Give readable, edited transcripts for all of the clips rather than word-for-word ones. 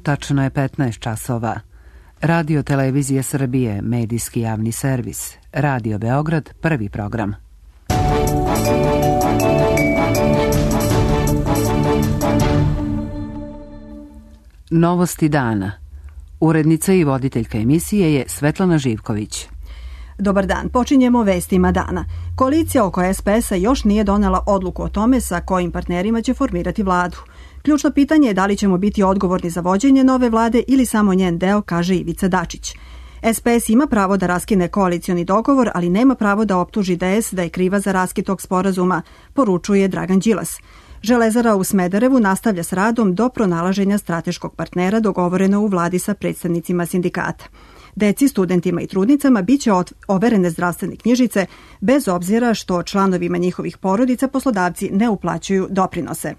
Tačno je 15 časova. Radio Televizije Srbije, medijski javni servis. Radio Beograd, prvi program. Novosti dana. Urednica i voditeljka emisije je Svetlana Živković. Dobar dan, počinjemo vestima dana. Koalicija oko SPS-a još nije donela odluku o tome sa kojim partnerima će formirati vladu. Ključno pitanje je da li ćemo biti odgovorni za vođenje nove vlade ili samo njen deo, kaže Ivica Dačić. SPS ima pravo da raskine koalicioni dogovor, ali nema pravo da optuži DS da je kriva za raskid tog sporazuma, poručuje Dragan Đilas. Železara u Smederevu nastavlja s radom do pronalaženja strateškog partnera dogovoreno u vladi sa predstavnicima sindikata. Deci, studentima i trudnicama biće overene zdravstvene knjižice bez obzira što članovima njihovih porodica poslodavci ne uplaćuju doprinose.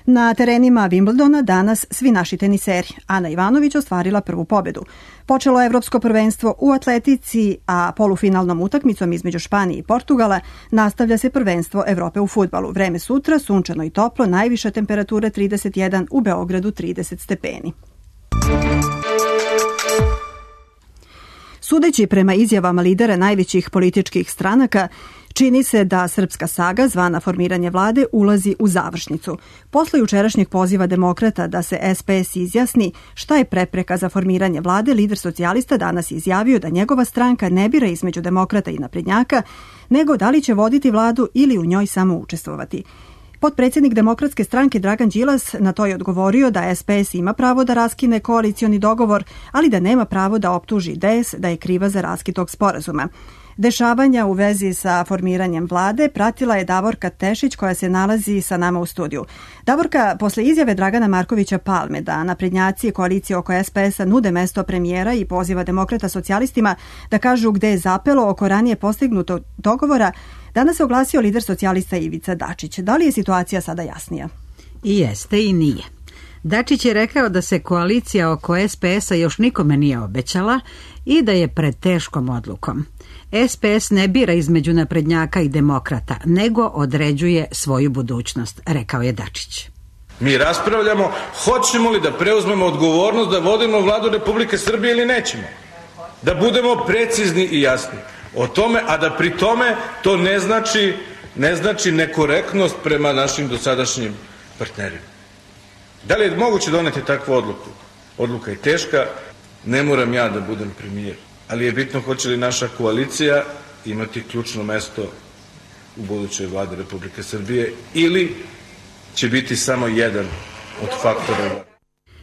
Na terenima Wimbledona danas svi naši teniseri. Ana Ivanović ostvarila prvu pobedu. Počelo je evropsko prvenstvo u atletici, a polufinalnom utakmicom između Španije i Portugala nastavlja se prvenstvo Evrope u fudbalu. Vreme sutra, sunčano i toplo, najviša temperatura 31, u Beogradu 30 stepeni. Sudeći prema izjavama lidera najvećih političkih stranaka, čini se da srpska saga, zvana formiranje vlade, ulazi u završnicu. Posle jučerašnjeg poziva demokrata da se SPS izjasni šta je prepreka za formiranje vlade, lider socijalista danas izjavio da njegova stranka ne bira između demokrata i naprednjaka, nego da li će voditi vladu ili u njoj samo učestvovati. Potpredsjednik Demokratske stranke Dragan Đilas na to je odgovorio da SPS ima pravo da raskine koalicioni dogovor, ali da nema pravo da optuži DS da je kriva za raskid tog sporazuma. Dešavanja u vezi sa formiranjem vlade pratila je Davorka Tešić koja se nalazi sa nama u studiju. Davorka, posle izjave Dragana Markovića Palme da naprednjaci koalicije oko SPS-a nude mesto premijera i poziva demokrata socijalistima da kažu gde je zapelo oko ranije postignutog dogovora, danas se oglasio lider socijalista Ivica Dačić. Da li je situacija sada jasnija? I jeste i nije. Dačić je rekao da se koalicija oko SPS-a još nikome nije obećala i da je pred teškom odlukom. SPS ne bira između naprednjaka i demokrata, nego određuje svoju budućnost, rekao je Dačić. Mi raspravljamo hoćemo li da preuzmemo odgovornost da vodimo vladu Republike Srbije ili nećemo. Da budemo precizni i jasni o tome, a da pri tome to ne znači nekorektnost prema našim dosadašnjim partnerima. Da li je moguće doneti takvu odluku? Odluka je teška, ne moram ja da budem premijer, ali je bitno hoće li naša koalicija imati ključno mesto u budućoj vladi Republike Srbije ili će biti samo jedan od faktora.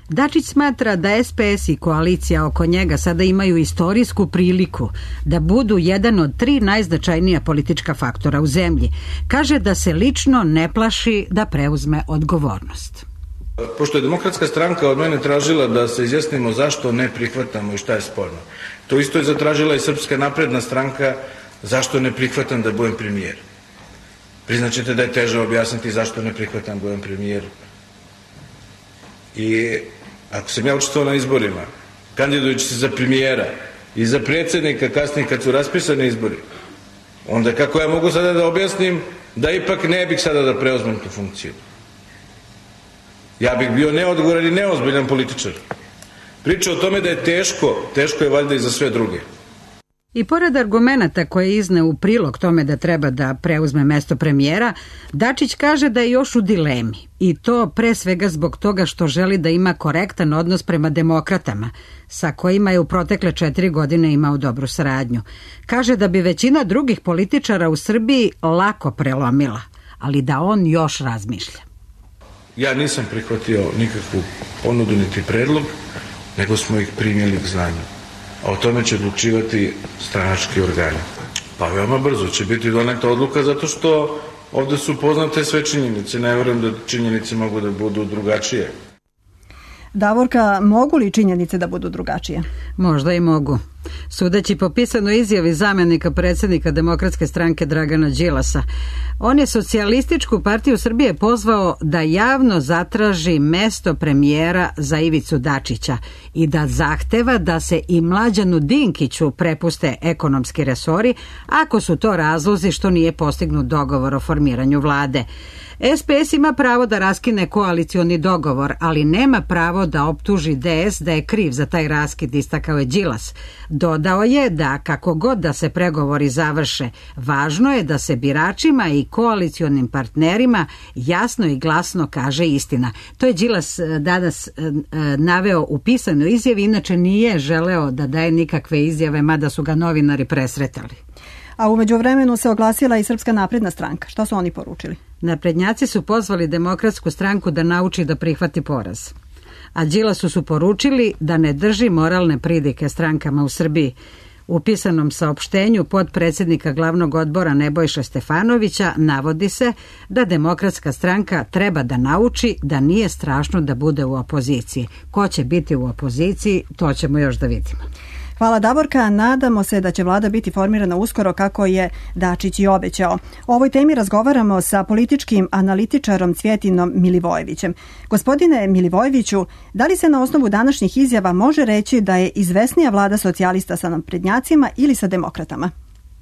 Dačić smatra da SPS i koalicija oko njega sada imaju istorijsku priliku da budu jedan od 3 najznačajnija politička faktora u zemlji. Kaže da se lično ne plaši da preuzme odgovornost. Pošto je Demokratska stranka od mene tražila da se izjasnimo zašto ne prihvatamo i šta je sporno, to isto je zatražila i Srpska napredna stranka zašto ne prihvatam da budem premijer. Priznaćete da je teže objasniti zašto ne prihvatam da budem premijer. I ako sam ja učestvovao na izborima, kandidujući se za premijera i za predsjednika kasnije kad su raspisani izbori, onda kako ja mogu sada da objasnim da ipak ne bih sada da preuzmem tu funkciju? Ja bih bio neodgovoran i neozbiljan političar. Priča o tome da je teško je valjda i za sve druge. I pored argumenata koje je izneo u prilog tome da treba da preuzme mesto premijera, Dačić kaže da je još u dilemi. I to pre svega zbog toga što želi da ima korektan odnos prema demokratama, sa kojima je u protekle 4 godine imao dobru saradnju. Kaže da bi većina drugih političara u Srbiji lako prelomila, ali da on još razmišlja. Ja nisam prihvatio nikakvu ponudu niti predlog, nego smo ih primili k znanju. A o tome će odlučivati stranački organi. Pa veoma brzo će biti doneta odluka zato što ovde su poznate sve činjenice. Ne verujem da činjenice mogu da budu drugačije. Davorka, mogu li činjenice da budu drugačije? Možda i mogu. sudeći po pisanoj izjavi zamjenika predsjednika Demokratske stranke Dragana Đilasa. On je Socijalističku partiju Srbije pozvao da javno zatraži mesto premijera za Ivicu Dačića i da zahteva da se i Mlađanu Dinkiću prepuste ekonomski resori ako su to razlozi što nije postignut dogovor o formiranju vlade. SPS ima pravo da raskine koalicioni dogovor, ali nema pravo da optuži DS da je kriv za taj raskid, istakao je Đilas. Dodao je da kako god da se pregovori završe, važno je da se biračima i koalicionim partnerima jasno i glasno kaže istina. To je Đilas danas naveo u pisanoj izjavi, inače nije želeo da daje nikakve izjave, mada su ga novinari presretali. A u međuvremenu se oglasila i Srpska napredna stranka. Šta su oni poručili? Naprednjaci su pozvali Demokratsku stranku da nauči da prihvati poraz. A Đilasu su poručili da ne drži moralne pridike strankama u Srbiji. U pisanom saopštenju potpredsjednika glavnog odbora Nebojše Stefanovića navodi se da Demokratska stranka treba da nauči da nije strašno da bude u opoziciji. Ko će biti u opoziciji, to ćemo još da vidimo. Hvala Davorka, nadamo se da će vlada biti formirana uskoro kako je Dačić i obećao. O ovoj temi razgovaramo sa političkim analitičarom Cvjetinom Milivojevićem. Gospodine Milivojeviću, da li se na osnovu današnjih izjava može reći da je izvesnija vlada socijalista sa naprednjacima ili sa demokratama?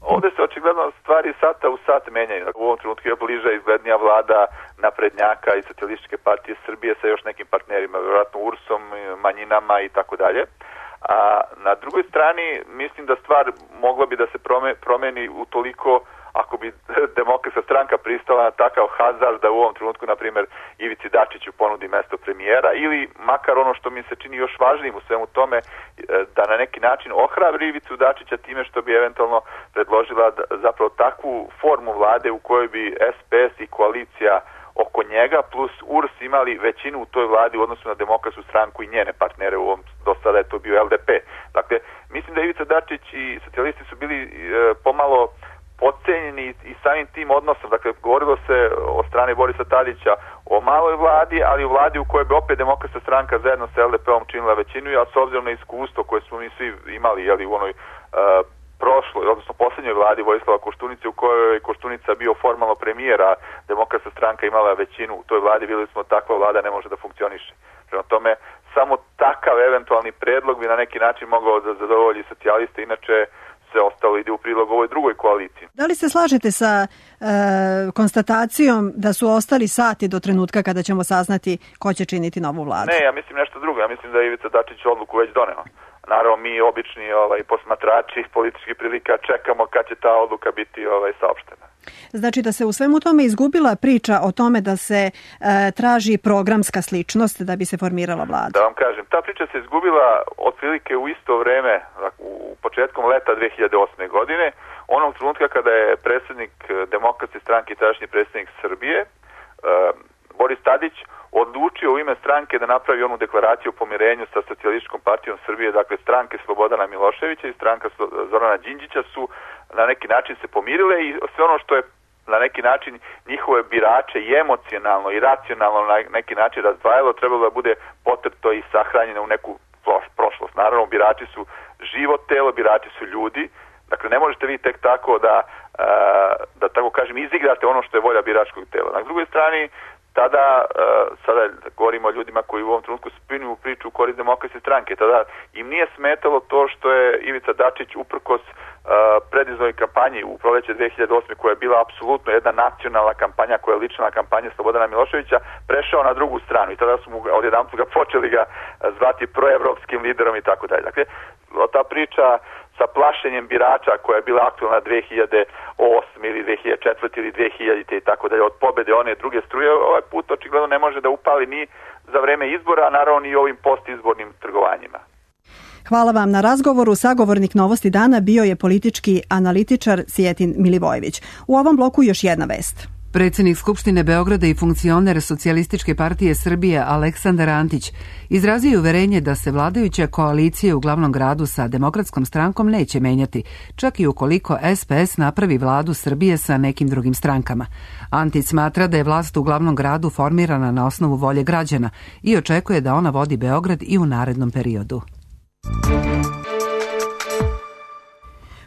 Ovdje se očigledno stvari sata u sat menjaju. U ovom trenutku je bliža izglednija vlada naprednjaka i Socijalističke partije Srbije sa još nekim partnerima, vjerojatno URS-om, manjinama i tako dalje. A na drugoj strani mislim da stvar mogla bi da se promeni utoliko ako bi Demokratska stranka pristala na takav hazard da u ovom trenutku, na primjer, Ivici Dačiću ponudi mesto premijera ili makar ono što mi se čini još važnijim u svemu tome, da na neki način ohrabri Ivicu Dačića time što bi eventualno predložila zapravo takvu formu vlade u kojoj bi SPS i koalicija oko njega plus URS imali većinu u toj vladi u odnosu na Demokratsku stranku i njene partnere, u ovom do sada je to bio LDP. Dakle, mislim da Ivica Dačić i socijalisti su bili pomalo podcenjeni i samim tim odnosom. Dakle, govorilo se o strane Borisa Tadića o maloj vladi, ali u vladi u kojoj bi opet Demokratska stranka zajedno sa LDP-om činila većinu, a s obzirom na iskustvo koje smo mi svi imali u onoj prošloj, odnosno posljednjoj vladi Vojislava Koštunice u kojoj je Koštunica bio formalno premijera, Demokratska stranka imala većinu u toj vladi, vidjeli smo takva vlada ne može da funkcioniše. Prema tome, samo takav eventualni predlog bi na neki način mogao da zadovolji socijaliste, inače se ostalo ide u prilog ovoj drugoj koaliciji. Da li se slažete sa konstatacijom da su ostali sati do trenutka kada ćemo saznati ko će činiti novu vladu? Ne, ja mislim nešto drugo. Ja mislim da je Ivica Dačić odluku već doneo. Naravno, mi obični posmatrači političkih prilika čekamo kad će ta odluka biti saopštena. Znači da se u svemu tome izgubila priča o tome da se traži programska sličnost da bi se formirala vlada? Da vam kažem, ta priča se izgubila otprilike u isto vreme, u početkom leta 2008. godine, onog trenutka kada je predsjednik Demokratske stranke i tadašnji predsjednik Srbije, Boris Tadić, odlučio u ime stranke da napravi onu deklaraciju o pomirenju sa Socijalističkom partijom Srbije, dakle stranke Slobodana Miloševića i stranka Zorana Đinđića su na neki način se pomirile i sve ono što je na neki način njihove birače i emocionalno i racionalno na neki način razdvajalo, trebalo da bude potrpto i sahranjeno u neku prošlost. Naravno, birači su živo telo, birači su ljudi, dakle ne možete vi tek tako da tako kažem izigrate ono što je volja biračkog tela. Na drugoj strani, sada govorimo o ljudima koji u ovom trenutku spinuju u priču u korist Demokratske stranke. Tada im nije smetalo to što je Ivica Dačić uprkos predizbornoj kampanji u proleće 2008. koja je bila apsolutno jedna nacionalna kampanja, koja je lična kampanja Slobodana Miloševića, prešao na drugu stranu i tada su mu odjedanput počeli ga zvati proevropskim liderom i tako dalje. Dakle, ta priča sa plašenjem birača koja je bila aktualna 2008. ili 2004. ili 2000. i tako dalje, od pobede one druge struje, ovaj put očigledno ne može da upali ni za vreme izbora, a naravno ni ovim postizbornim trgovanjima. Hvala vam na razgovoru. Sagovornik Novosti dana bio je politički analitičar Cvjetin Milivojević. U ovom bloku još jedna vest. Predsjednik Skupštine Beograda i funkcioner Socijalističke partije Srbije Aleksandar Antić izrazio je uverenje da se vladajuća koalicija u glavnom gradu sa Demokratskom strankom neće menjati, čak i ukoliko SPS napravi vladu Srbije sa nekim drugim strankama. Antić smatra da je vlast u glavnom gradu formirana na osnovu volje građana i očekuje da ona vodi Beograd i u narednom periodu.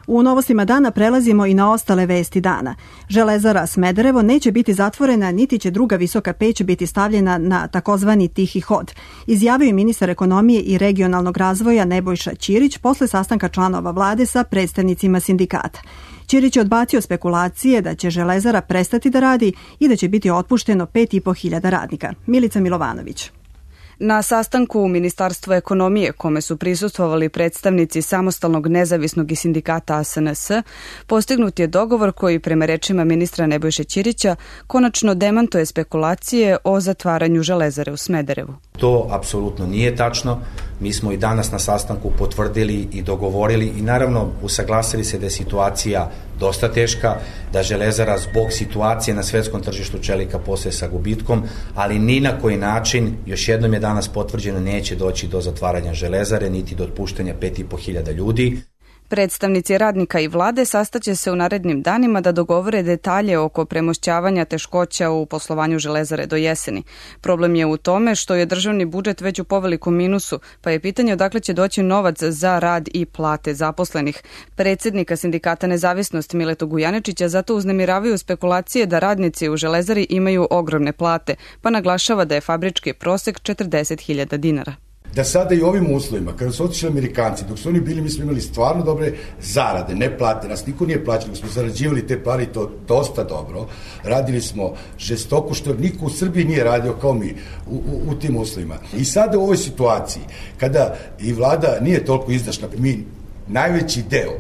U novostima dana prelazimo i na ostale vesti dana. Železara Smederevo neće biti zatvorena, niti će druga visoka peć biti stavljena na takozvani tihi hod, izjavio je ministar ekonomije i regionalnog razvoja Nebojša Ćirić posle sastanka članova vlade sa predstavnicima sindikata. Ćirić je odbacio spekulacije da će Železara prestati da radi i da će biti otpušteno 5.500 radnika. Milica Milovanović. Na sastanku u Ministarstvu ekonomije, kome su prisustvovali predstavnici Samostalnog nezavisnog i sindikata SNS, postignut je dogovor koji, prema rečima ministra Nebojše Ćirića, konačno demantuje spekulacije o zatvaranju Železare u Smederevu. To apsolutno nije tačno. Mi smo i danas na sastanku potvrdili i dogovorili i naravno usaglasili se da je situacija dosta teška, da Železara zbog situacije na svetskom tržištu čelika postaje sa gubitkom, ali ni na koji način, još jednom je danas potvrđeno, neće doći do zatvaranja Železare, niti do otpuštanja 5.500 ljudi. Predstavnici radnika i vlade sastaće se u narednim danima da dogovore detalje oko premošćavanja teškoća u poslovanju Železare do jeseni. Problem je u tome što je državni budžet već u povelikom minusu, pa je pitanje odakle će doći novac za rad i plate zaposlenih. Predsjednika sindikata Nezavisnost Miletu Gujaničića zato uznemiravaju spekulacije da radnici u Železari imaju ogromne plate, pa naglašava da je fabrički prosek 40.000 dinara. Da sada i ovim uslovima, kada su otišli Amerikanci, dok su oni bili, mi smo imali stvarno dobre zarade, ne plate, nas niko nije plaćao, smo zarađivali te pare i to dosta dobro. Radili smo žestoko, što niko u Srbiji nije radio kao mi u tim uslovima. I sada u ovoj situaciji, kada i vlada nije toliko izdašna, mi najveći deo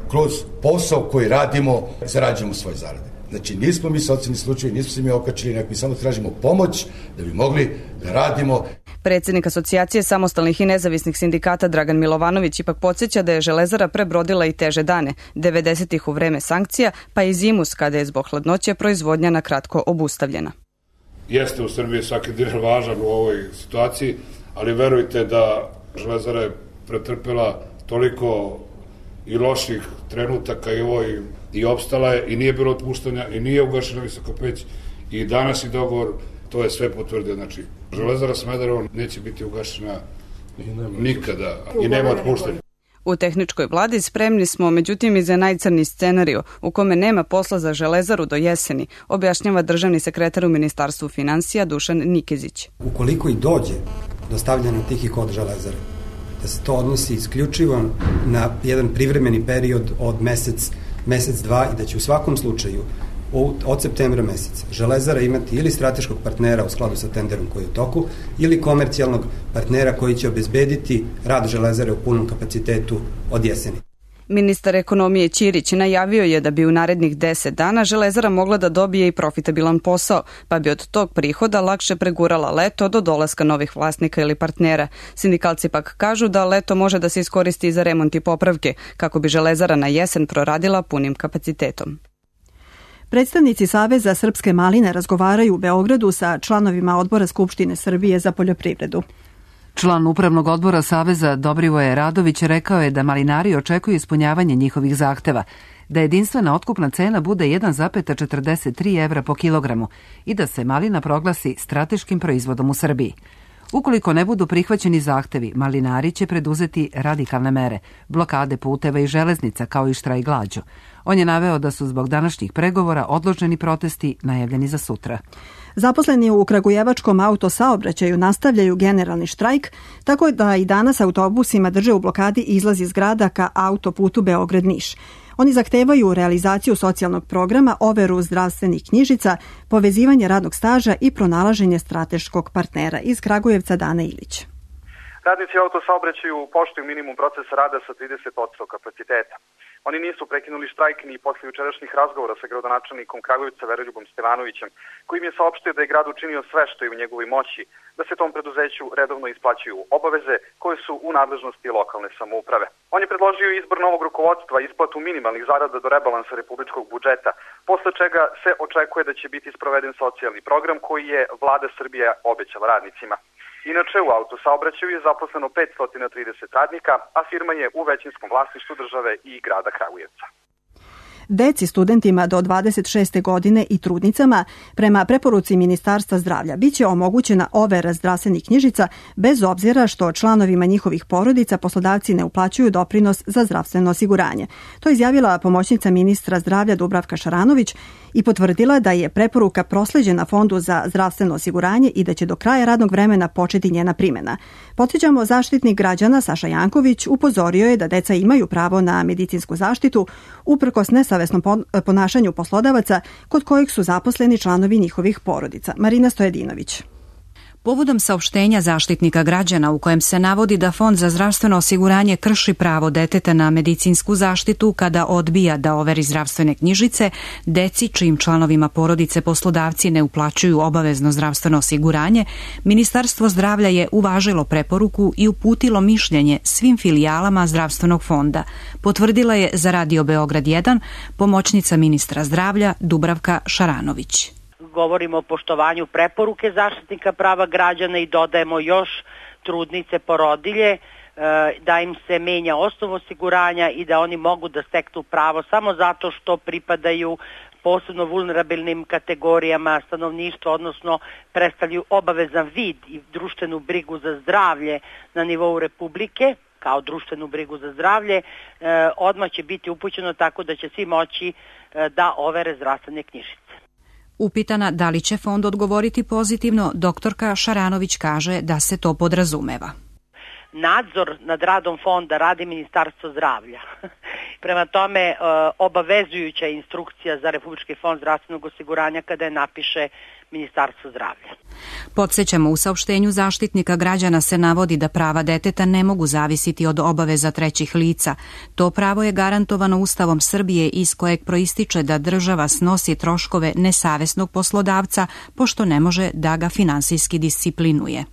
kroz posao koji radimo, zarađujemo svoje zarade. Znači, nismo mi socijalni slučaj, nismo se mi okačili, nego mi samo tražimo pomoć da bi mogli da radimo. Predsjednik Asocijacije samostalnih i nezavisnih sindikata Dragan Milovanović ipak podsjeća da je Železara prebrodila i teže dane, 90-ih u vreme sankcija, pa i zimus kada je zbog hladnoće proizvodnja na kratko obustavljena. Jeste u Srbiji svaki dinar važan u ovoj situaciji, ali verujte da Železara je pretrpela toliko i loših trenutaka i opstala je i nije bilo otpuštanja i nije ugašena visoka peć i danas i dogovor to je sve potvrdio. Znači, Železara Smederevo neće biti ugašena nikada i nema otpuštanja. U tehničkoj vladi spremni smo, međutim, i za najcrniji scenariju u kome nema posla za Železaru do jeseni, objašnjava državni sekretar u Ministarstvu finansija Dušan Nikezić. Ukoliko i dođe do stavljanja tihi hod Železare, da se to odnosi isključivo na jedan privremeni period od mesec, dva i da će u svakom slučaju od septembra meseca Železara imati ili strateškog partnera u skladu sa tenderom koji je u toku ili komercijalnog partnera koji će obezbediti rad Železare u punom kapacitetu od jeseni. Ministar ekonomije Ćirić najavio je da bi u narednih 10 dana Železara mogla da dobije i profitabilan posao, pa bi od tog prihoda lakše pregurala leto do dolaska novih vlasnika ili partnera. Sindikalci pak kažu da leto može da se iskoristi za remont i popravke, kako bi Železara na jesen proradila punim kapacitetom. Predstavnici Saveza Srpske maline razgovaraju u Beogradu sa članovima Odbora Skupštine Srbije za poljoprivredu. Član Upravnog odbora Saveza Dobrivoje Radović rekao je da malinari očekuju ispunjavanje njihovih zahteva, da jedinstvena otkupna cena bude 1,43 evra po kilogramu i da se malina proglasi strateškim proizvodom u Srbiji. Ukoliko ne budu prihvaćeni zahtevi, malinari će preduzeti radikalne mere, blokade puteva i železnica kao i štrajk glađu. On je naveo da su zbog današnjih pregovora odloženi protesti najavljeni za sutra. Zaposleni u kragujevačkom autosaobraćaju nastavljaju generalni štrajk, tako da i danas autobusima drže u blokadi izlaz iz grada ka autoputu Beograd-Niš. Oni zahtevaju realizaciju socijalnog programa, overu zdravstvenih knjižica, povezivanje radnog staža i pronalaženje strateškog partnera. Iz Kragujevca Dana Ilić. Radnici autosaobraćaju poštuju minimum procesa rada sa 30% kapaciteta. Oni nisu prekinuli štrajk ni posle jučerašnjih razgovora sa gradonačelnikom Kragujevca Veroljubom Stevanovićem, koji im je saopštio da je grad učinio sve što je u njegovoj moći da se tom preduzeću redovno isplaćuju obaveze koje su u nadležnosti lokalne samouprave. On je predložio izbor novog rukovodstva, isplatu minimalnih zarada do rebalansa republičkog budžeta, posle čega se očekuje da će biti sproveden socijalni program koji je vlada Srbije obećala radnicima. Inače, u autosaobraćaju je zaposleno 530 radnika, a firma je u većinskom vlasništvu države i grada Kragujevca. Deci, studentima do 26. godine i trudnicama, prema preporuci Ministarstva zdravlja, biće omogućena overa zdravstvenih knjižica bez obzira što članovima njihovih porodica poslodavci ne uplaćuju doprinos za zdravstveno osiguranje. To je izjavila pomoćnica ministra zdravlja Dubravka Šaranović i potvrdila da je preporuka prosleđena Fondu za zdravstveno osiguranje i da će do kraja radnog vremena početi njena primjena. Podsjećamo, Zaštitnik građana Saša Janković upozorio je da deca imaju pravo na medicinsku zaštitu uprkos nesavesnom ponašanju poslodavaca kod kojih su zaposleni članovi njihovih porodica. Marina Stojedinović. Povodom saopštenja Zaštitnika građana u kojem se navodi da Fond za zdravstveno osiguranje krši pravo deteta na medicinsku zaštitu kada odbija da overi zdravstvene knjižice, deci čijim članovima porodice poslodavci ne uplaćuju obavezno zdravstveno osiguranje, Ministarstvo zdravlja je uvažilo preporuku i uputilo mišljenje svim filijalama zdravstvenog fonda, potvrdila je za Radio Beograd 1 pomoćnica ministra zdravlja Dubravka Šaranović. Govorimo o poštovanju preporuke Zaštitnika prava građana i dodajemo još trudnice, porodilje, da im se menja osnov osiguranja i da oni mogu da steknu pravo samo zato što pripadaju posebno vulnerabilnim kategorijama stanovništva, odnosno predstavljaju obavezan vid i društvenu brigu za zdravlje na nivou Republike, kao društvenu brigu za zdravlje, odmah će biti upućeno tako da će svi moći da overe zdravstvene knjižice. Upitana da li će fond odgovoriti pozitivno, doktorka Šaranović kaže da se to podrazumeva. Nadzor nad radom fonda radi Ministarstvo zdravlja. Prema tome, obavezujuća instrukcija za Republički fond zdravstvenog osiguranja kada je napiše Ministarstvo zdravlja. Podsjećamo, u saopštenju Zaštitnika građana se navodi da prava deteta ne mogu zavisiti od obaveza trećih lica. To pravo je garantovano Ustavom Srbije iz kojeg proističe da država snosi troškove nesavesnog poslodavca pošto ne može da ga finansijski disciplinuje.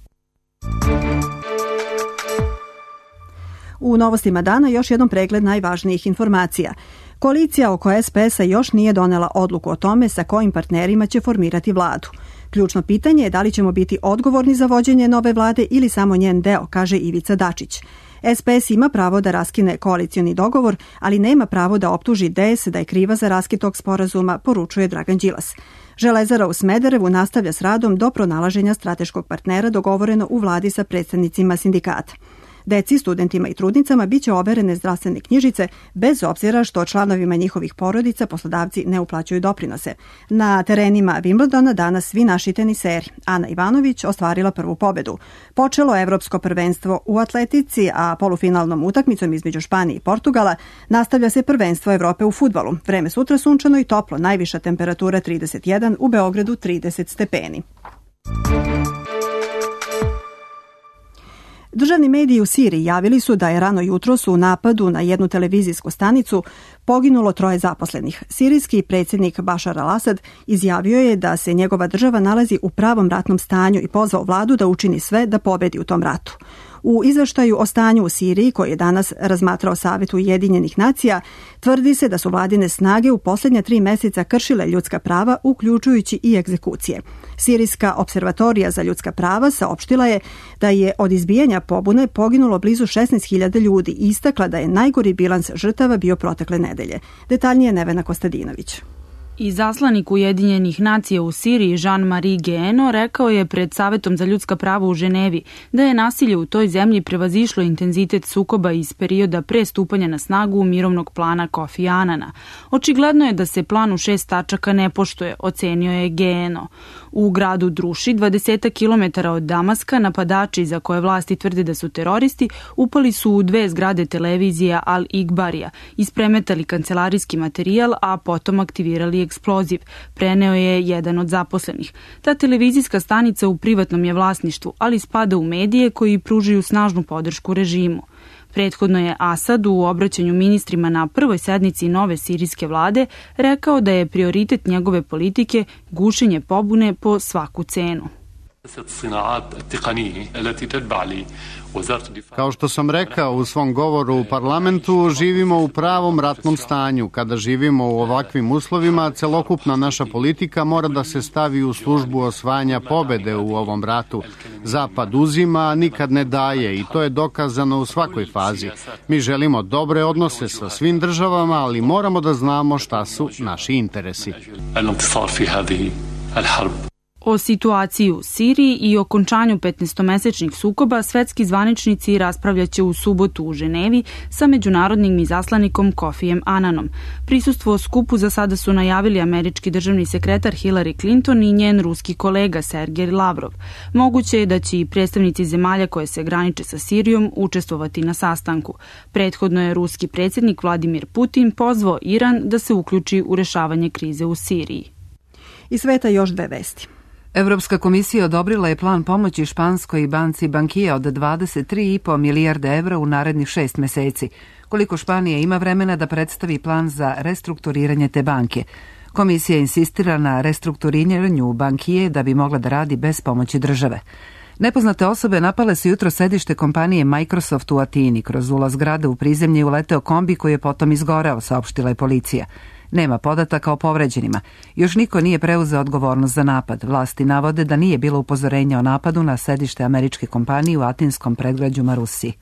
U novostima dana još jednom pregled najvažnijih informacija. Koalicija oko SPS-a još nije donela odluku o tome sa kojim partnerima će formirati vladu. Ključno pitanje je da li ćemo biti odgovorni za vođenje nove vlade ili samo njen deo, kaže Ivica Dačić. SPS ima pravo da raskine koalicioni dogovor, ali nema pravo da optuži DS da je kriva za raskid tog sporazuma, poručuje Dragan Đilas. Železara u Smederevu nastavlja s radom do pronalaženja strateškog partnera dogovoreno u vladi sa predstavnicima sindikata. Deci, studentima i trudnicama biće overene zdravstvene knjižice bez obzira što članovima njihovih porodica poslodavci ne uplaćuju doprinose. Na terenima Wimbledona danas svi naši teniseri. Ana Ivanović ostvarila prvu pobedu. Počelo evropsko prvenstvo u atletici, a polufinalnom utakmicom između Španije i Portugala nastavlja se prvenstvo Evrope u fudbalu. Vreme sutra sunčano i toplo, najviša temperatura 31, u Beogradu 30 stepeni. Državni mediji u Siriji javili su da je rano jutros u napadu na jednu televizijsku stanicu poginulo 3 zaposlenih. Sirijski predsjednik Bašar al-Asad izjavio je da se njegova država nalazi u pravom ratnom stanju i pozvao vladu da učini sve da pobedi u tom ratu. U izveštaju o stanju u Siriji, koji je danas razmatrao Savet Ujedinjenih nacija, tvrdi se da su vladine snage u posljednja 3 mjeseca kršile ljudska prava, uključujući i egzekucije. Sirijska observatorija za ljudska prava saopštila je da je od izbijanja pobune poginulo blizu 16.000 ljudi i istakla da je najgori bilans žrtava bio protekle nedelje. Detaljnije Nevena Kostadinović. Izaslanik Ujedinjenih nacija u Siriji Jean-Marie Guéhenno rekao je pred Savetom za ljudska prava u Ženevi da je nasilje u toj zemlji prevazišlo intenzitet sukoba iz perioda pre stupanja na snagu mirovnog plana Kofi Anana. Očigledno je da se plan u 6 tačaka ne poštuje, ocenio je Guéhenno. U gradu Druši, 20 km od Damaska, napadači za koje vlasti tvrde da su teroristi upali su u 2 zgrade televizija Al-Igbarija, ispremetali kancelarijski materijal, a potom aktivirali eksploziv, preneo je jedan od zaposlenih. Ta televizijska stanica u privatnom je vlasništvu, ali spada u medije koji pružaju snažnu podršku režimu. Prethodno je Asad u obraćanju ministrima na prvoj sednici nove sirijske vlade rekao da je prioritet njegove politike gušenje pobune po svaku cenu. Kao što sam rekao u svom govoru u parlamentu, živimo u pravom ratnom stanju. Kada živimo u ovakvim uslovima, celokupna naša politika mora da se stavi u službu osvajanja pobede u ovom ratu. Zapad uzima, a nikad ne daje i to je dokazano u svakoj fazi. Mi želimo dobre odnose sa svim državama, ali moramo da znamo šta su naši interesi. O situaciji u Siriji i okončanju 15-mesečnih sukoba svetski zvaničnici raspravljaće u subotu u Ženevi sa međunarodnim izaslanikom Kofijem Ananom. Prisustvo skupu za sada su najavili američki državni sekretar Hillary Clinton i njen ruski kolega Sergej Lavrov. Moguće je da će i predstavnici zemalja koje se graniče sa Sirijom učestvovati na sastanku. Prethodno je ruski predsjednik Vladimir Putin pozvao Iran da se uključi u rešavanje krize u Siriji. Iz sveta još dve vesti. Evropska komisija odobrila je plan pomoći španskoj banci Bankia od 23,5 milijarde evra u narednih 6 meseci. Koliko Španija ima vremena da predstavi plan za restrukturiranje te banke. Komisija insistira na restrukturiranju Bankije da bi mogla da radi bez pomoći države. Nepoznate osobe napale su jutro sedište kompanije Microsoft u Atini. Kroz ulaz zgrade u prizemlje uleteo kombi koji je potom izgoreo, saopštila je policija. Nema podataka o povređenima. Još niko nije preuzeo odgovornost za napad. Vlasti navode da nije bilo upozorenja o napadu na sedište američke kompanije u atinskom predgrađu Marusi.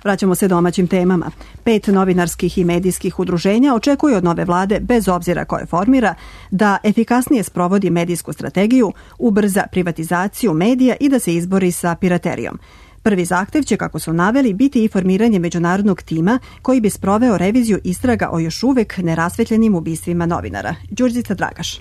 Vraćamo se domaćim temama. 5 novinarskih i medijskih udruženja očekuju od nove vlade, bez obzira koje formira, da efikasnije sprovodi medijsku strategiju, ubrza privatizaciju medija i da se izbori sa piraterijom. Prvi zahtev će, kako su naveli, biti i formiranje međunarodnog tima koji bi sproveo reviziju istraga o još uvek nerasvetljenim ubistvima novinara. Đurđica Dragaš.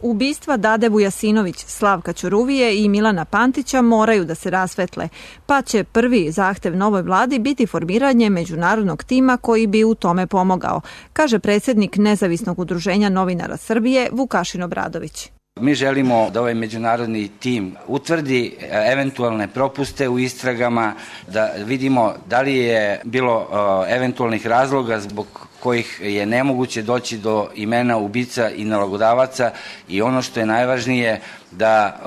Ubistva Dade Vujasinović, Slavka Ćuruvije i Milana Pantića moraju da se rasvetle, pa će prvi zahtev novoj vladi biti formiranje međunarodnog tima koji bi u tome pomogao, kaže predsjednik Nezavisnog udruženja novinara Srbije Vukašin Obradović. Mi želimo da ovaj međunarodni tim utvrdi eventualne propuste u istragama, da vidimo da li je bilo eventualnih razloga zbog kojih je nemoguće doći do imena ubica i nalogodavaca i ono što je najvažnije da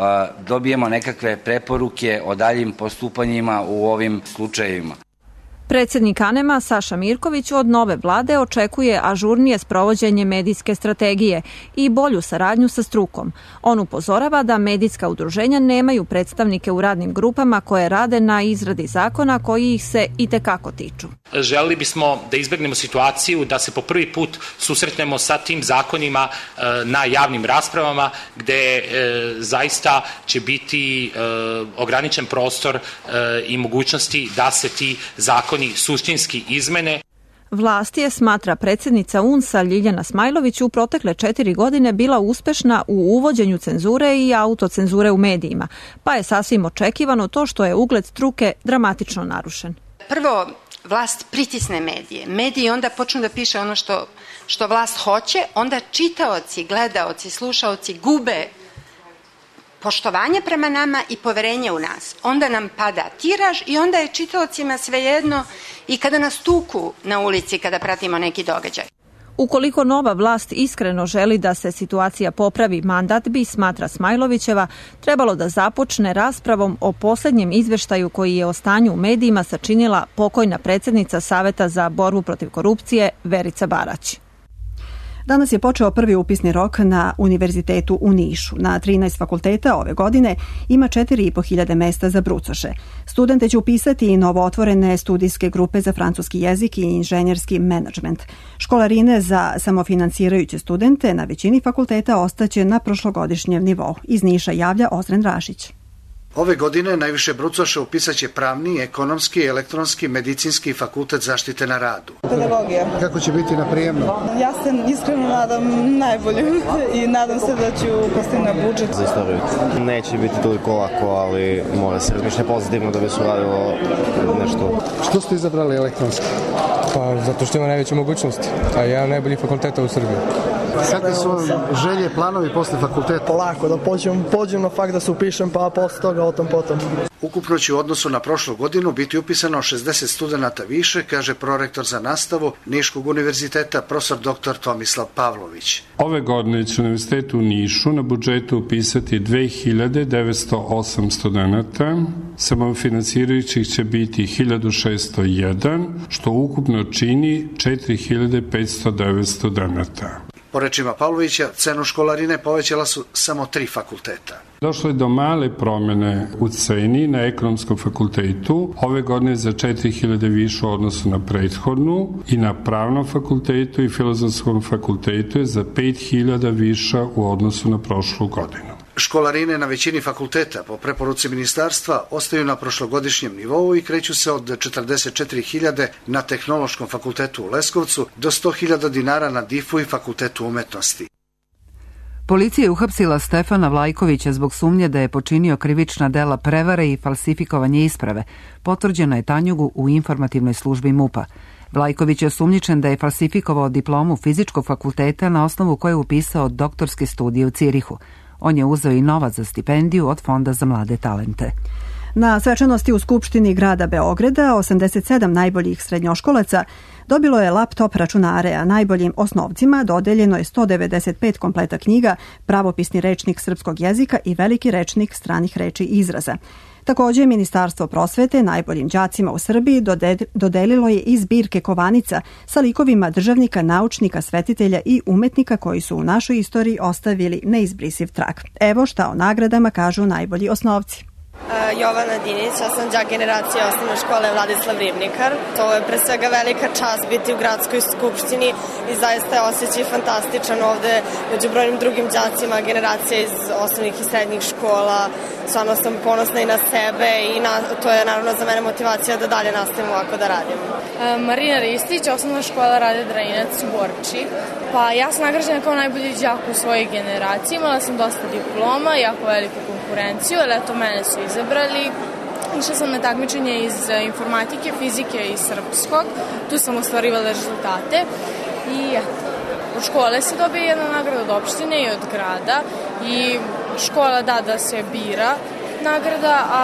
dobijemo nekakve preporuke o daljim postupanjima u ovim slučajevima. Predsjednik ANEM-a Saša Mirković od nove vlade očekuje ažurnije sprovođenje medijske strategije i bolju saradnju sa strukom. On upozorava da medijska udruženja nemaju predstavnike u radnim grupama koje rade na izradi zakona koji ih se itekako tiču. Želeli bismo da izbegnemo situaciju da se po prvi put susretnemo sa tim zakonima na javnim raspravama gde zaista će biti ograničen prostor i mogućnosti da se ti zakoni suštinski izmene. Vlast je, smatra predsjednica UNS-a Ljiljana Smajlović, u protekle 4 godine bila uspešna u uvođenju cenzure i autocenzure u medijima, pa je sasvim očekivano to što je ugled struke dramatično narušen. Prvo, vlast pritisne medije. Mediji onda počnu da piše ono što vlast hoće, onda čitaoci, gledaoci, slušaoci gube poštovanje prema nama i poverenje u nas. Onda nam pada tiraž i onda je čitaocima svejedno i kada nas tuku na ulici kada pratimo neki događaj. Ukoliko nova vlast iskreno želi da se situacija popravi, mandat bi, smatra Smajlovićeva, trebalo da započne raspravom o posljednjem izveštaju koji je o stanju u medijima sačinila pokojna predsjednica Saveta za borbu protiv korupcije Verica Barać. Danas je počeo prvi upisni rok na Univerzitetu u Nišu. Na 13 fakulteta ove godine ima 4.500 mesta za brucoše. Studente će upisati i novootvorene studijske grupe za francuski jezik i inženjerski menadžment. Školarine za samofinancirajuće studente na većini fakulteta ostaće na prošlogodišnjem nivou. Iz Niša javlja Ozren Rašić. Ove godine najviše brucoša upisat će pravni, ekonomski, elektronski, medicinski fakultet zaštite na radu. Pedagogija. Kako će biti na prijemnu? Ja se iskreno nadam najbolje i nadam se da ću pasti na budžet. Za istoriju. Neće biti toliko lako, ali mora se razmišljati pozitivno da bi se uradilo nešto. Što ste izabrali elektronski? Pa zato što ima najveće mogućnosti, a jedan najbolji fakulteta u Srbiji. Kakve su želje, planovi posle fakulteta? Polako, da pođem na fakt da se upišem, pa posle toga o tom potom. Ukupno će u odnosu na prošlu godinu biti upisano 60 studenta više, kaže prorektor za nastavu Niškog univerziteta, profesor dr. Tomislav Pavlović. Ove godine će Univerzitet u Nišu na budžetu upisati 2908 studenta, samofinansirajućih će biti 1601, što ukupno čini 4509 studenta. Po rečima Pavlovića, cenu školarine povećala su samo 3 fakulteta. Došlo je do male promene u ceni na ekonomskom fakultetu, ove godine za 4000 više u odnosu na prethodnu, i na pravnom fakultetu i filozofskom fakultetu je za 5000 više u odnosu na prošlu godinu. Školarine na većini fakulteta po preporuci ministarstva ostaju na prošlogodišnjem nivou i kreću se od 44.000 na Tehnološkom fakultetu u Leskovcu do 100.000 dinara na DIF-u i Fakultetu umetnosti. Policija je uhapsila Stefana Vlajkovića zbog sumnje da je počinio krivična dela prevare i falsifikovanje isprave. Potvrđeno je Tanjugu u informativnoj službi MUP-a. Vlajković je osumnjičen da je falsifikovao diplomu fizičkog fakulteta na osnovu koje je upisao doktorske studije u Cirihu. On je uzeo i novac za stipendiju od Fonda za mlade talente. Na svečanosti u Skupštini grada Beograda 87 najboljih srednjoškolaca dobilo je laptop računare, a najboljim osnovcima dodeljeno je 195 kompleta knjiga, pravopisni rečnik srpskog jezika i veliki rečnik stranih reči i izraza. Također, Ministarstvo prosvete najboljim đacima u Srbiji dodelilo je i zbirke kovanica sa likovima državnika, naučnika, svetitelja i umetnika koji su u našoj istoriji ostavili neizbrisiv trag. Evo šta o nagradama kažu najbolji osnovci. Jovana Dinić, ja sam đak generacije osnovne škole Vladislav Ribnikar. To je pre svega velika čast biti u gradskoj skupštini i zaista je osjećaj fantastičan ovde među brojnim drugim đacima generacije iz osnovnih i srednjih škola. Stvarno sam ponosna i na sebe i to je naravno za mene motivacija da dalje nastavim ovako da radim. Marina Ristić, osnovna škola Rade Drajinac u Borči. Pa ja sam nagrađena kao najbolji đak u svojoj generaciji, imala sam dosta diploma, jako veliku konkurenciju, ali eto mene su izabrali. Išla sam na takmičenje iz informatike, fizike i srpskog, tu sam ostvarivala rezultate i eto, od škole se dobije jedna nagrada od opštine i od grada i škola da se bira nagrada, a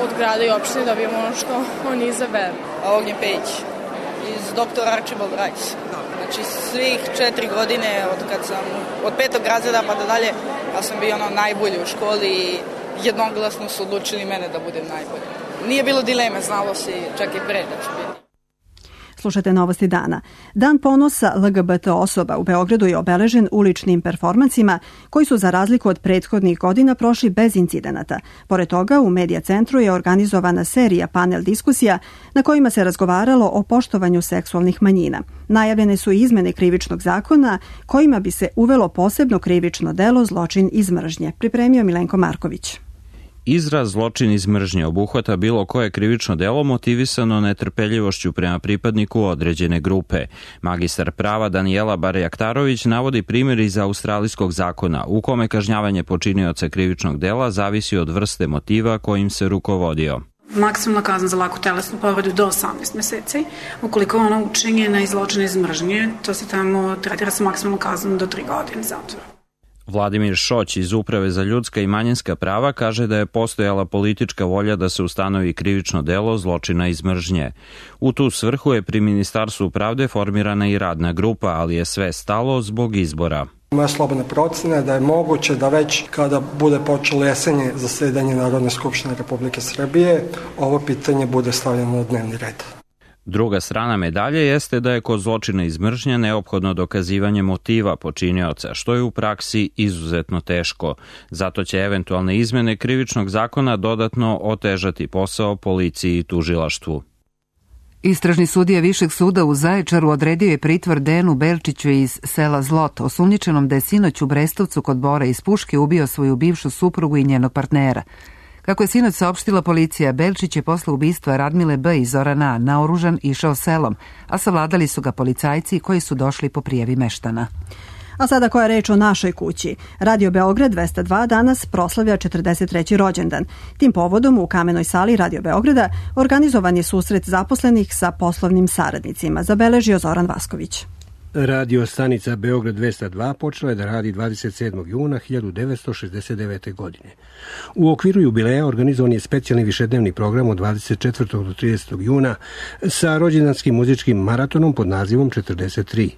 od grada i opštine dobijemo ono što oni izaberu. Ognjen Pejić iz Dr. Archibald Rice. Znači svih 4 godine od 5. razreda pa da dalje, ja sam bio najbolji u školi i jednoglasno su odlučili mene da budem najbolji. Nije bilo dileme, znalo se čak i pre da ću biti. Slušate novosti dana. Dan ponosa LGBT osoba u Beogradu je obeležen uličnim performansima koji su za razliku od prethodnih godina prošli bez incidenata. Pored toga, u Medija centru je organizovana serija panel diskusija na kojima se razgovaralo o poštovanju seksualnih manjina. Najavljene su i izmene krivičnog zakona kojima bi se uvelo posebno krivično delo zločin iz mržnje. Pripremio Milenko Marković. Izraz zločin iz mržnje obuhvata bilo koje krivično delo motivisano netrpeljivošću prema pripadniku određene grupe. Magistar prava Danijela Barjaktarović navodi primjer iz australijskog zakona u kome kažnjavanje počinioca krivičnog dela zavisi od vrste motiva kojim se rukovodio. Maksimalna kazna za laku telesnu povredu do 18 meseci. Ukoliko ona učinjena iz zločina iz mržnje, to se tamo tretira sa maksimalnom kaznom do 3 godine zatvora. Vladimir Šoć iz Uprave za ljudska i manjinska prava kaže da je postojala politička volja da se ustanovi krivično delo zločina iz mržnje. U tu svrhu je pri Ministarstvu pravde formirana i radna grupa, ali je sve stalo zbog izbora. Moja slobodna procena je da je moguće da već kada bude počelo jesenje zasedanje Narodne skupštine Republike Srbije, ovo pitanje bude stavljeno na dnevni red. Druga strana medalje jeste da je kod zločina iz mržnje neophodno dokazivanje motiva počinioca, što je u praksi izuzetno teško. Zato će eventualne izmene krivičnog zakona dodatno otežati posao policiji i tužilaštvu. Istražni sudija Višeg suda u Zaječaru odredio je pritvor Dejanu Belčiću iz sela Zlot, osumnjičenom da je sinoć u Brestovcu kod Bora iz puške ubio svoju bivšu suprugu i njenog partnera. Kako je sinoć saopštila policija, Belčić je posle ubistva Radmile B. i Zorana A. naoružan išao selom, a savladali su ga policajci koji su došli po prijavi meštana. A sada koja je reč o našoj kući. Radio Beograd 202 danas proslavlja 43. rođendan. Tim povodom u kamenoj sali Radio Beograda organizovan je susret zaposlenih sa poslovnim saradnicima, zabeležio Zoran Vasković. Radio stanica Beograd 202 počela je da radi 27. juna 1969. godine. U okviru jubileja organizovan je specijalni višednevni program od 24. do 30. juna sa rođendanskim muzičkim maratonom pod nazivom 43.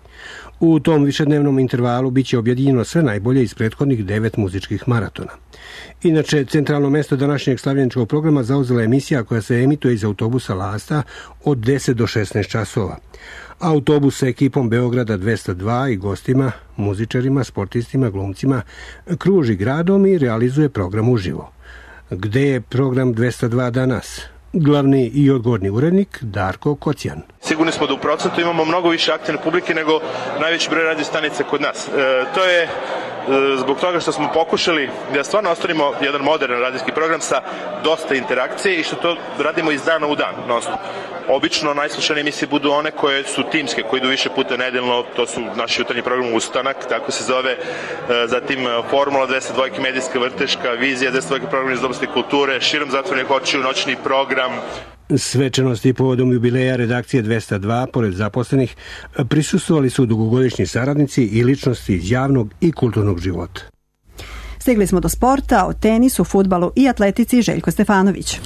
U tom višednevnom intervalu biće objedinjeno sve najbolje iz prethodnih 9 muzičkih maratona. Inače, centralno mesto današnjeg slavljeničkog programa zauzela emisija koja se emituje iz autobusa Lasta od 10 do 16 časova. Autobus sa ekipom Beograda 202 i gostima, muzičarima, sportistima, glumcima kruži gradom i realizuje program uživo. Gde je program 202 danas? Glavni i odgovorni urednik Darko Kocijan. Sigurni smo da u procentu imamo mnogo više aktivne publike nego najveći broj radio stanica kod nas. To je zbog toga što smo pokušali da stvarno ostvarimo jedan modern radijski program sa dosta interakcije i što to radimo iz dana u dan. Obično najslušanije emisije budu one koje su timske, koje idu više puta nedeljno, to su naši jutarnji program Ustanak, tako se zove, zatim Formula 202, medijska vrteška, Vizija 202, program iz oblasti kulture, Širom zatvorenih očiju, noćni program. Svečanosti povodom jubileja redakcije 202, pored zaposlenih, prisustvovali su dugogodišnji saradnici i ličnosti iz javnog i kulturnog života. Stigli smo do sporta, o tenisu, fudbalu i atletici. Željko Stefanović.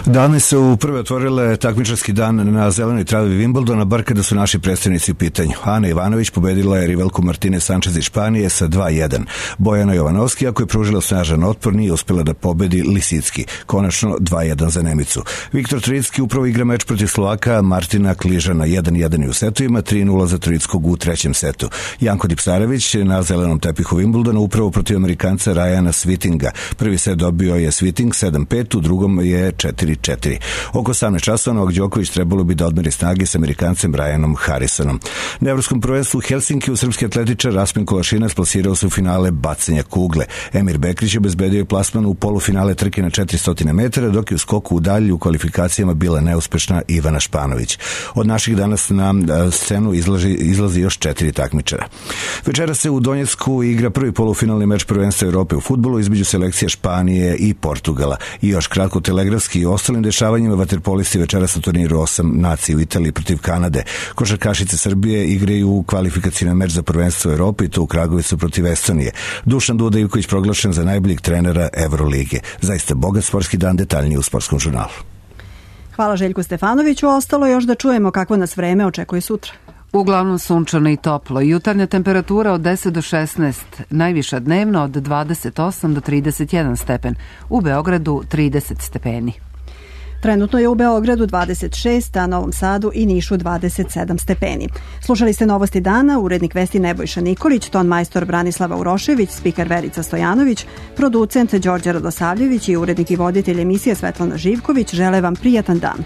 Danas su prve otvorile takmičarski dan na zelenoj travi Wimbledona, bar kada su naši predstavnici u pitanju. Ana Ivanović pobedila je rivalku Martine Sančez iz Španije sa 2-1. Bojana Jovanovski, ako je pružila snažan otpor, nije uspela da pobedi Lisicki. Konačno 2-1 za Nemicu. Viktor Trojicki upravo igra meč protiv Slovaka Martina Kližana 1-1 u setovima, 3-0 za Trojickog u trećem setu. Janko Dipsarević na zelenom tepihu Wimbledona upravo protiv Amerikanca Ryana Svitinga. Prvi set dobio je Sviting 7-5, u drugom je 4-4. Oko 18 časova Novak Đoković trebalo bi da odmeri snage s Amerikancem Ryanom Harrisonom. Na evropskom prvenstvu Helsinkiju srpski atletičar Rasmin Kolašinac plasirao se u finale bacanja kugle. Emir Bekrić obezbedio je plasman u polufinale trke na 400 metara, dok je u skoku u dalju u kvalifikacijama bila neuspešna Ivana Španović. Od naših danas na scenu izlazi još 4 takmičara. Večera se u Donjecku igra prvi polufinalni meč prvenstva Evrope u fudbalu između selekcija Španije i Portugala. I još kratko telegrafski i ostalim dešavanjima vaterpolisti večeras na turniru 8 nacija u Italiji protiv Kanade. Košarkašice Srbije igraju kvalifikacijni meč za prvenstvo Evrope i to u Kragovicu protiv Estonije. Dušan Duda Ivković proglašen za najboljeg trenera Evrolige. Zaista bogat sportski dan, detaljnije u Sportskom žurnalu. Hvala Željku Stefanoviću. Ostalo još da čujemo kako nas vreme očekuje sutra. Uglavnom sunčano i toplo. Jutarnja temperatura od 10 do 16, najviša dnevno od 28 do 31 stepen. U Beogradu 30 stepeni. Trenutno je u Beogradu 26, a Novom Sadu i Nišu 27 stepeni. Slušali ste Novosti dana, urednik vesti Nebojša Nikolić, ton majstor Branislava Urošević, spiker Verica Stojanović, producent Đorđe Radosavljević i urednik i voditelj emisije Svetlana Živković žele vam prijatan dan.